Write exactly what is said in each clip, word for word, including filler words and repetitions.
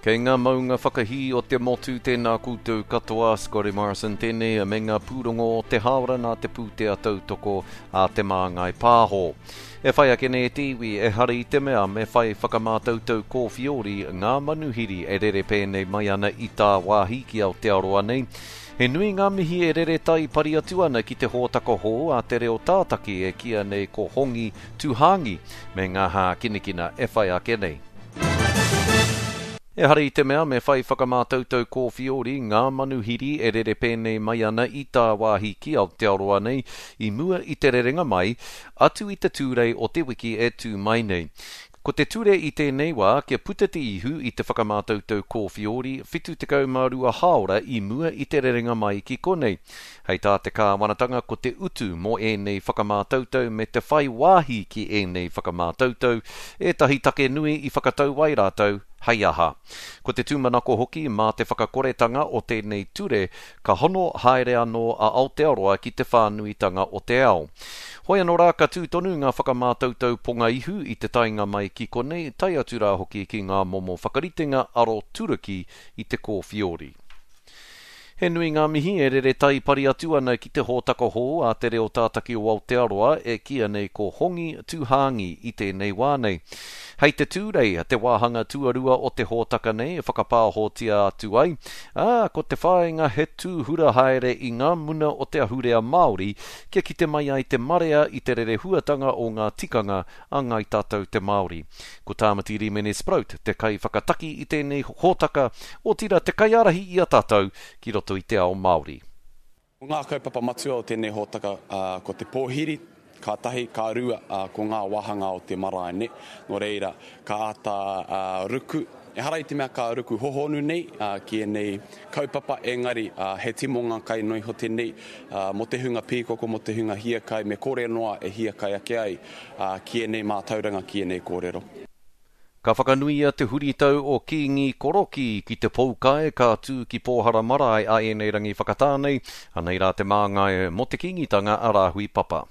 Kei ngā maunga whakahī o te motu tēnā koutou katoa, Scotty Morrison tēnei me ngā pūrongo o te hāora nā te pūtea tautoko a Te Māngai Pāho. E whai ake nei te iwi, ehara i te mea me whai whakamātautau kōwhiori ngā manuhiri e rere pēnei mai ana i tāwāhi ki Aotearoa nei. He nui ngā mihi e rere tai pari atu ana ki te hōtaka hou a te reo tātaki e kīia nei ko Hongi Tūhāngi me ngā hākinakina e whai ake nei. Ehara i te mea me whai whakamātautau kōwhiori ngā manuhiri e rere pēnei mai ana i tāwāhi ki Aotearoa nei i mua i te rerenga mai, atu i te Tūrei o te wiki e tū mai nei. Ko te ture i tēnei wā kia puta te ihu i te whakamātautau kōwhiori whitu tekau mā rua hāora i mua i te rerenga mai ki konei. Hei tā te kāwanatanga ko te utu mō ēnei whakamātautau me te whai wāhi ki ēnei whakamātautau ētahi take nui i whakatau ai rātou hei aha. Ko te tūmanako hoki mā te whakakoretanga o tēnei ture ka hono haere anō a Aotearoa ki te whānuitanga o te ao. Hoi anō rā ka tū tonu ngā whakamātautau ponga ihu i te taenga mai ki konei, tae atu rā hoki ki ngā momo whakaritenga aro turuki i te kōwhiori. He nui ngā mihi e rere tai pari atu ana ki te hōtaka hou a te reo tātaki o Aotearoa e kīia nei ko Hongi Tūhāngi i tēnei wā nei. Hei te Tūrei, te wāhanga tuarua o te hōtaka nei e whakapāhotia atu ai, ā, ko te whāinga he tūhura haere i ngā muna o te ahurea Māori kia kite mai ai te marea i te rerehuatanga o ngā tikanga a Ngāi Tātou te Māori. Ko Tāmati Rimene Sproat te kaiwhakataki i tēnei hōtaka, otirā te kaiārahi i a tātou ki roto i te ao Māori. Ko ngā kaupapa matua o tēnei hōtaka ko te pōhiri, ka tahi, ka rua, ko ngā wāhanga o te marae, nē. Nō reira, ka āta ruku, ehara i te mea ka ruku hohonu nei ki ēnei kaupapa, engari he timonga kai noa iho tēnei mō te hunga pīkoko, mō te hunga hiakai, me kore noa e hiakai ake ai ki ēnei mātauranga, ki ēnei kōrero. Ka whakanuia te huritau o Kīngi Korokī ki te poukai ka tū ki Pōhara Marae a ēnei rangi whakatā nei, anei rā te māngai mō te Kīngitanga a Rāhui Papa.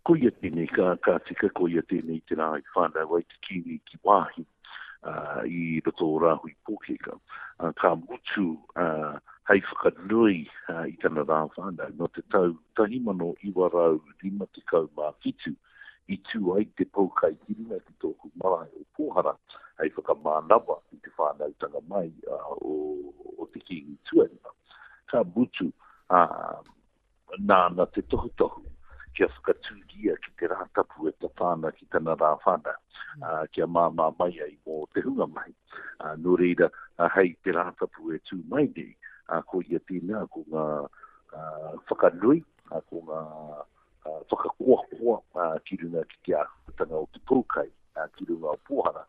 Koia tēnei ka, ka tika, koia tēnei te rā i whānau ai te Kīngi ki Wāhi uh, i roto o Rāhui Pōkeka. Uh, ka mutu uh, hei whakanui uh, i tana rā whānau nō te tau tahi mano iwa rau rima tekau mā whitu i tū ai te poukai ki runga ki tōku marae o Pōhara hei whakamānawa i te whānautanga mai uh, o, o te Kīngi tuarima. Ka mutu uh, nāna te tohutohu kia whakatūria ki te rā tapu e tata ana ki tana rā whānau, uh, kia māmā mai ai mō te hunga mahi. Uh, nō reira, uh, hei te rā tapu e tū mai nei, uh, ko ia tēnā, ko ngā uh, whakanui, uh, ko ngā uh, whakakoakoa uh, ki runga ki te āhuatanga o te poukai, uh, ki runga o Pōhara.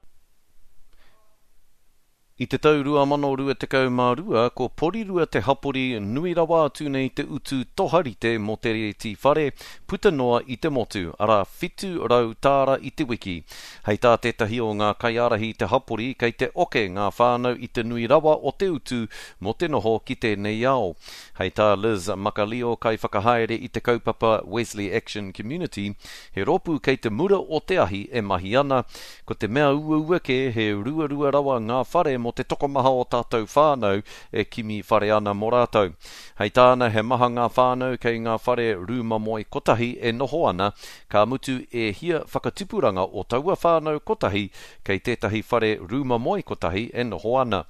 I te tau rua mano rua tekau mā rua, ko Porirua te hapori nui rawa atu nei te utu toharite mō te rēti whare, puta noa i te motu, arā whitu rau tāra i te wiki. Hei tā tētahi o ngā kaiārahi te hapori kei te oke ngā whānau i te nui rawa o te utu mō te noho ki tēnei ao. Hei tā Liz Makalio kaiwhakahaere i te kaupapa Wesley Action Community, he rōpū kei te mura o te ahi e mahi ana, ko te mea uaua kē he ruarua rawa ngā whare mō te tokomaha o tātou whānau e kimi whare ana mō rātou. Hei tāna he maha ngā whānau kei ngā whare rūma moe kotahi e noho ana, ka mutu e hia whakatipuranga o taua whānau kotahi kei tētahi whare rūma moe kotahi e noho ana.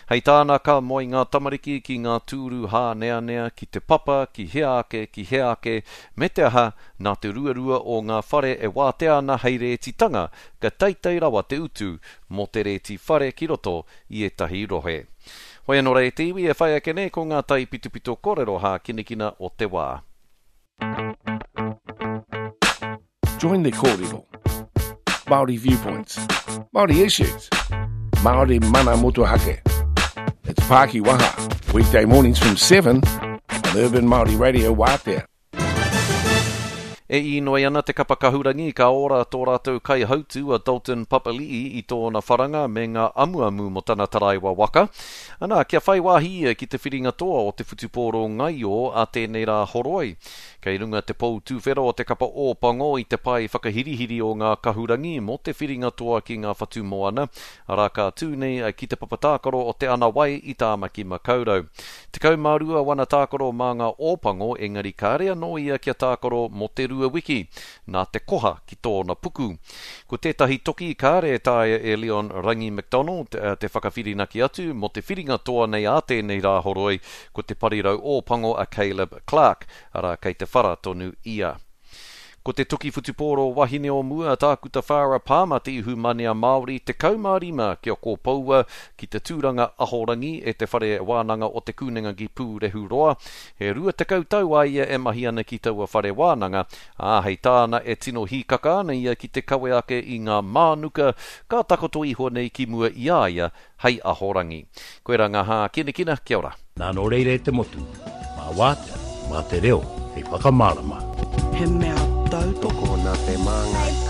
Hei tāna ka moe ngā tamariki ki ngā tūru hāneanea, ki te papa, ki hea ake, ki hea ake, me te aha, nā te ruarua o ngā whare e wātea ana hei rētitanga, ka teitei rawa te utu mō te rēti whare ki roto i ētahi rohe. Hoi anō rā e te iwi e whai ake nei ko ngā taipitopito kōrero hākinakina o te wā. Join the kōrero. Māori viewpoints, Māori issues, Māori mana motuhake. It's Pāki Waha, weekday mornings from seven on Urban Māori Radio Wātea. E inoi ana te kapa kahurangi ka ora tō rātou kaihautu a Dalton Papali'i i tōna wharanga me ngā amuamu mō tana taraiwa waka. Ana, kia whai wāhi ia ki te whiringa toa o te whutupōro ngaio a tēnei rā horoi. Kei runga te pou tūwhera o te kapa Ōpango i te pae whakahirihiri o ngā kahurangi mō te whiringa toa ki ngā whatumoana, arā ka tū nei ki te papa tākaro o Te Ana Wai i Tāmaki Makaurau. Tekau mā rua wana tākaro mā ngā Ōpango engari kāre anō ia kia tākaro mō te rua wiki, nā te koha ki tōna puku. Ko tētahi toki kāre e taea e Leon Rangi McDonald te whakawhirinaki atu mō te whiringa toa nei ā tēnei Rāhoroi, ko te parirau Ōpango a Caleb Clarke, arā kei te whara tonu ia. Ko te toki whutupōro wahine o mua, Tākuta Farah Palmer te ihumanea Māori tekau mā rima kia kōpoua ki te tūranga ahorangi e te Whare Wānanga o Te Kunenga ki Pūrehuroa. He rua tekau tau a ia e mahi ana ki taua whare wānanga, ā, hei tāna e tino hīkaka ana ia ki te kawe ake i ngā mānuka ka takoto iho nei ki mua i a ia hei ahorangi. Koirā ngā hākinakina, kia ora. Nā nō reira e te motu, mā wātea, mā te reo hei whakamārama. He mea tautoko Tokona te māngai.